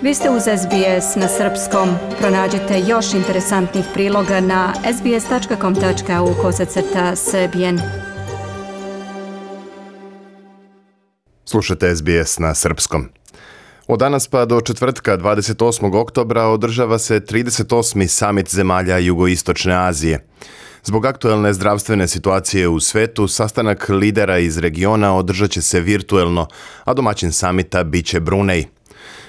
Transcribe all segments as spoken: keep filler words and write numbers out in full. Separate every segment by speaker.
Speaker 1: Vi ste uz S B S na srpskom. Pronađite još interesantnih priloga na sbs tačka com tačka au kosacrta srbijen.
Speaker 2: Slušate S B S na srpskom. Od danas pa do četvrtka dvadeset osmog oktobra održava se trideset osmi samit zemalja Jugoistočne Azije. Zbog aktuelne zdravstvene situacije u svetu, sastanak lidera iz regiona održat će se virtuelno, a domaćin samita bit će Brunej.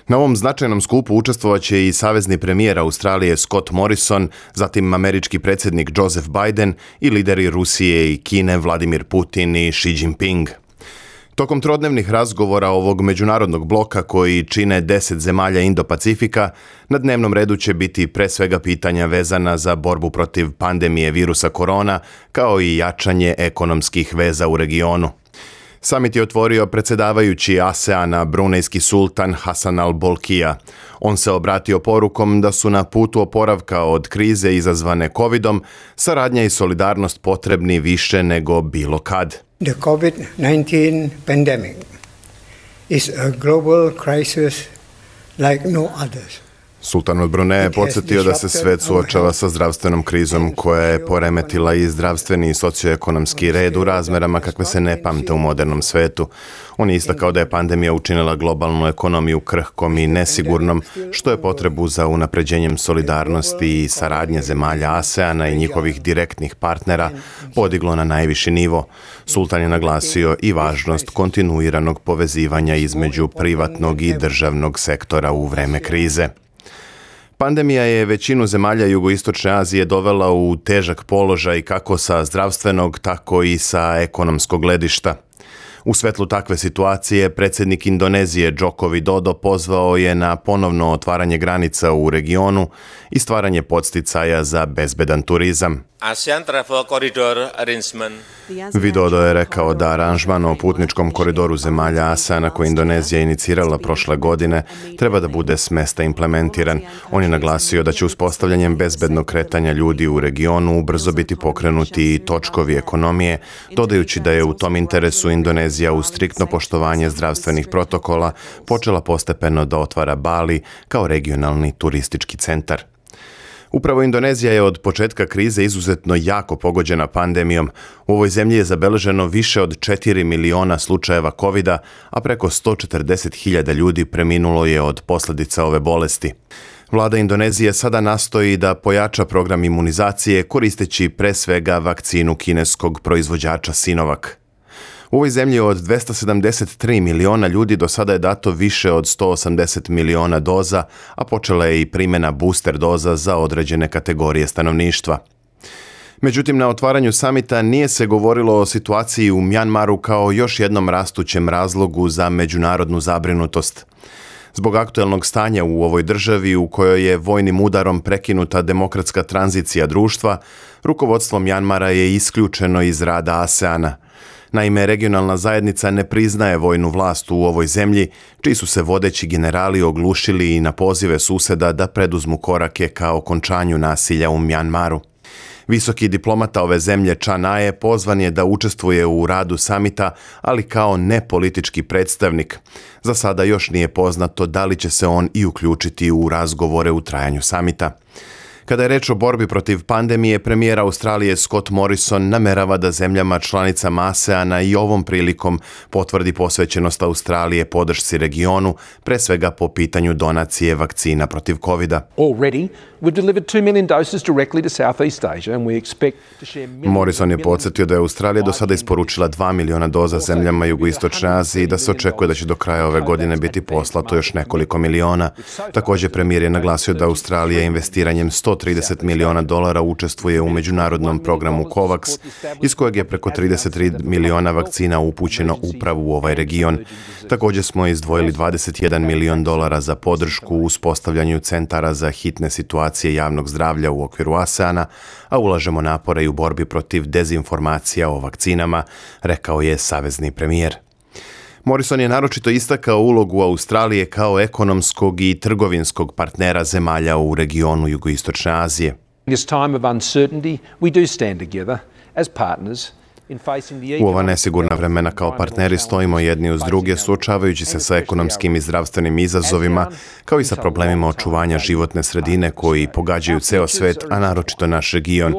Speaker 2: Na ovom značajnom skupu učestvovat će i savezni premijer Australije Scott Morrison, zatim američki predsjednik Joseph Biden i lideri Rusije i Kine Vladimir Putin i Xi Jinping. Tokom trodnevnih razgovora ovog međunarodnog bloka koji čine deset zemalja Indo-Pacifika, na dnevnom redu će biti pre svega pitanja vezana za borbu protiv pandemije virusa korona, kao i jačanje ekonomskih veza u regionu. Samit je otvorio predsjedavajući ASEANA brunejski sultan Hasan al-Bolkiah. On se obratio porukom da su na putu oporavka od krize izazvane covidom saradnja i solidarnost potrebni više nego bilo kad.
Speaker 3: The COVID nineteen pandemic is a global crisis like no others.
Speaker 2: Sultan od Bruneja je podsjetio da se svet suočava sa zdravstvenom krizom koja je poremetila i zdravstveni i socioekonomski red u razmerama kakve se ne pamte u modernom svetu. On je istakao da je pandemija učinila globalnu ekonomiju krhkom i nesigurnom, što je potrebu za unapređenjem solidarnosti i saradnje zemalja ASEANA i njihovih direktnih partnera podiglo na najviši nivo. Sultan je naglasio i važnost kontinuiranog povezivanja između privatnog i državnog sektora u vreme krize. Pandemija je većinu zemalja Jugoistočne Azije dovela u težak položaj kako sa zdravstvenog, tako i sa ekonomskog gledišta. U svetlu takve situacije, predsjednik Indonezije Joko Widodo pozvao je na ponovno otvaranje granica u regionu i stvaranje podsticaja za bezbedan turizam.
Speaker 4: ASEAN Travel Corridor Arrangement.
Speaker 2: Widodo je rekao da aranžman o putničkom koridoru zemalja ASEANA koji Indonezija inicirala prošle godine treba da bude s mesta implementiran. On je naglasio da će uspostavljanjem bezbednog kretanja ljudi u regionu ubrzo biti pokrenuti i točkovi ekonomije, dodajući da je u tom interesu Indonezija uz striktno poštovanje zdravstvenih protokola počela postepeno da otvara Bali kao regionalni turistički centar. Upravo Indonezija je od početka krize izuzetno jako pogođena pandemijom. U ovoj zemlji je zabeleženo više od četiri miliona slučajeva covida, a preko sto četrdeset hiljada ljudi preminulo je od posljedica ove bolesti. Vlada Indonezije sada nastoji da pojača program imunizacije koristeći pre svega vakcinu kineskog proizvođača Sinovac. U ovoj zemlji od dvesta sedamdeset tri miliona ljudi do sada je dato više od sto osamdeset miliona doza, a počela je i primjena booster doza za određene kategorije stanovništva. Međutim, na otvaranju samita nije se govorilo o situaciji u Mjanmaru kao još jednom rastućem razlogu za međunarodnu zabrinutost. Zbog aktuelnog stanja u ovoj državi u kojoj je vojnim udarom prekinuta demokratska tranzicija društva, rukovodstvo Mjanmara je isključeno iz rada ASEANA. Naime, regionalna zajednica ne priznaje vojnu vlast u ovoj zemlji, čiji su se vodeći generali oglušili i na pozive suseda da preduzmu korake ka okončanju nasilja u Mjanmaru. Visoki diplomata ove zemlje Chan Aye pozvan je da učestvuje u radu samita, ali kao nepolitički predstavnik. Za sada još nije poznato da li će se on i uključiti u razgovore u trajanju samita. Kada je reč o borbi protiv pandemije, premijer Australije Scott Morrison namerava da zemljama članicama ASEANA i ovom prilikom potvrdi posvećenost Australije podršci regionu, pre svega po pitanju donacije vakcina protiv covida.
Speaker 5: Already we've delivered two million doses directly to Southeast Asia and we expect to share millions.
Speaker 2: Morrison je podsjetio da je Australija do sada isporučila dva miliona doza zemljama Jugoistočne Azije i da se očekuje da će do kraja ove godine biti poslato još nekoliko miliona. Također premijer je naglasio da Australija investiranjem sto trideset miliona dolara učestvuje u međunarodnom programu COVAX, iz kojeg je preko trideset tri miliona vakcina upućeno upravo u ovaj region. Također smo izdvojili dvadeset jedan milion dolara za podršku u uspostavljanju centara za hitne situacije javnog zdravlja u okviru ASEANA, a ulažemo napore i u borbi protiv dezinformacija o vakcinama, rekao je savezni premijer. Morrison je naročito istakao ulogu Australije kao ekonomskog i trgovinskog partnera zemalja u regionu Jugoistočne Azije.
Speaker 5: In this time of uncertainty, we do stand together as partners
Speaker 2: U ova nesigurna vremena kao partneri stojimo jedni uz druge, suočavajući se sa ekonomskim i zdravstvenim izazovima, kao i sa problemima očuvanja životne sredine koji pogađaju ceo svet, a naročito naš region.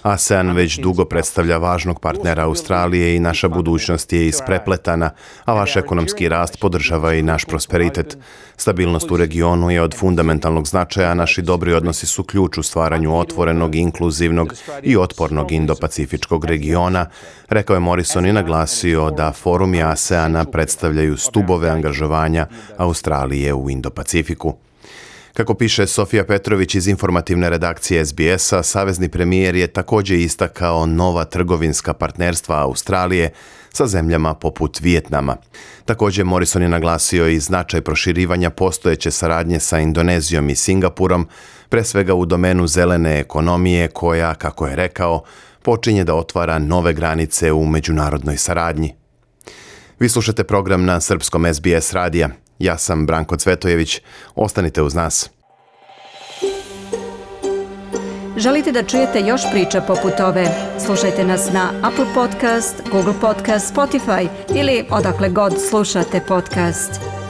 Speaker 2: ASEAN već dugo predstavlja važnog partnera Australije i naša budućnost je isprepletana, a vaš ekonomski rast podržava i naš prosperitet. Stabilnost u regionu je od fundamentalnog značaja, a naši dobri odnosi su ključ u stvaranju otvorenog, inkluzivnog i otpornog indo-pacifičkog regiona, rekao je Morrison i naglasio da forumi ASEANA predstavljaju stubove angažovanja Australije u Indo-Pacifiku. Kako piše Sofija Petrović iz informativne redakcije S B S-a, savezni premijer je također istakao nova trgovinska partnerstva Australije sa zemljama poput Vijetnama. Također Morrison je naglasio i značaj proširivanja postojeće saradnje sa Indonezijom i Singapurom, pre svega u domenu zelene ekonomije koja, kako je rekao, počinje da otvara nove granice u međunarodnoj saradnji. Vi slušate program na srpskom S B S radija. Ja sam Branko Cvetojević. Ostanite uz nas.
Speaker 1: Želite da čujete još priča poput ove? Slušajte nas na Apple Podcast, Google Podcast, Spotify ili odakle god slušate podcast.